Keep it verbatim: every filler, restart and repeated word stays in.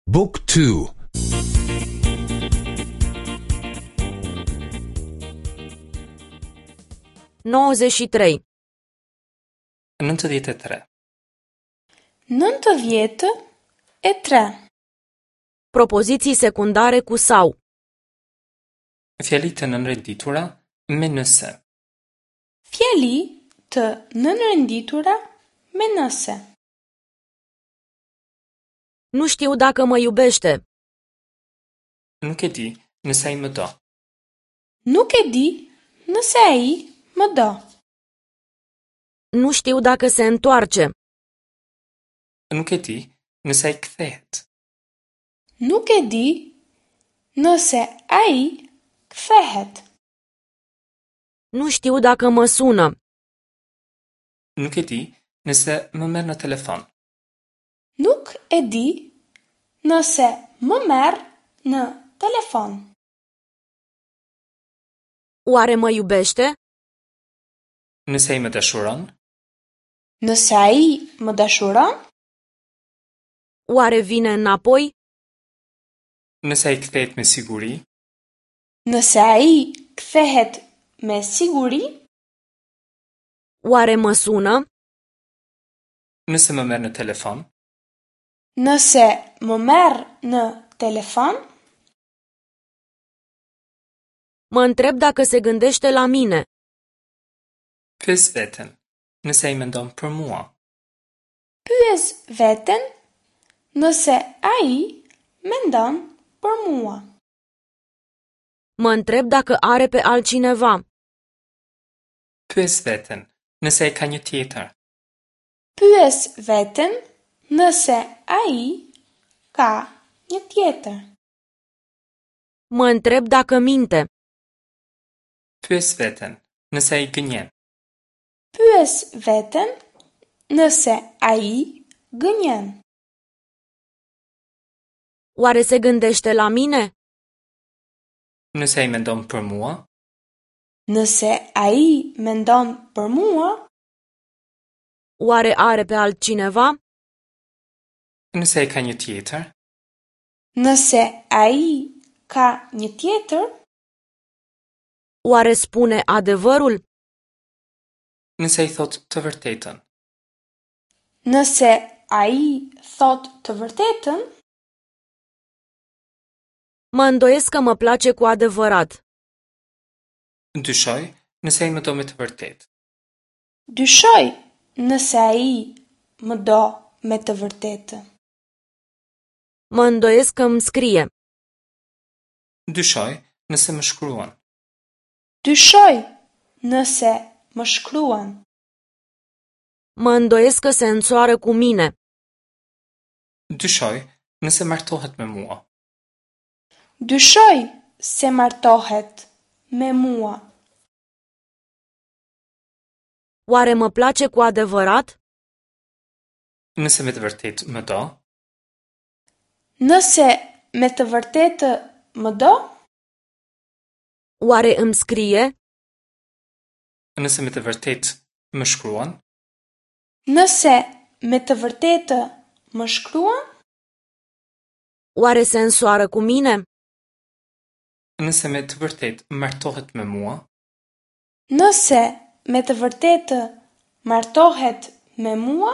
Book two. nouăzeci și trei. Nëntëdhjetë e tre. Nëntëdhjetë e tre. Propoziții secundare cu sau. Fjali të nënrenditura me nëse. Fjali të nënrenditura me nëse. Nu știu dacă mă iubește. Nuk e di nëse ai më do. Nuk e di nëse ai më do. Nu știu dacă se întoarce. Nuk e di nëse ai kthehet. Nuk e di nëse ai kthehet. Nu știu dacă mă sună. Nuk e di nëse më merr në telefon. Nuk e di nëse më merr në telefon. Oare mă iubește? Nëse ai më dashuron? Nëse ai më dashuron? Oare vine înapoi? Nëse ai kthehet me siguri? Nëse ai kthehet me siguri? Oare mă sună? Nëse më merr në telefon? Nëse më merr në telefon? Mă întreb dacă se gândește la mine. Pyes veten, nëse ai mendon për mua. Pyes veten nëse ai mendon për mua. Mă întreb dacă are pe altcineva. Pyes veten, nëse ai ka një tjetër. Pyes veten nëse ai ka një tjetër. Mă întreb dacă minte. Pyes veten, nëse ai gënjen. Pyes veten nëse ai gënjen. Oare se gândește la mine? Nëse ai mendon për mua? Nëse ai mendon për mua? Oare are pe altcineva? Nëse ai ka një tjetër? Nëse ai ka një tjetër? Oare spune adevărul? Nëse ai thotë të vërtetën. Nëse ai thotë të vërtetën? Mă îndoiesc că mă place cu adevărat. Dyshoj nëse ai më do me të vërtetë. Dyshoj nëse ai më do me të vërtetë. Mă îndoiesc că îmi scrie. Dyshoj nëse më shkruan. Dyshoj nëse më shkruan. Mă îndoiesc că se însoară cu mine. Dyshoj nëse martohet me mua. Dyshoj se martohet me mua. Oare mă place cu adevărat? Nëse me të vërtetë më do? Nëse me të vërtetë më do? Oare îmi scrie? Nëse me të vërtetë më shkruan? Nëse me të vërtetë më shkruan? Oare se însoară cu mine? Nëse me të vërtetë martohet me mua? Nëse me të vërtetë martohet me mua?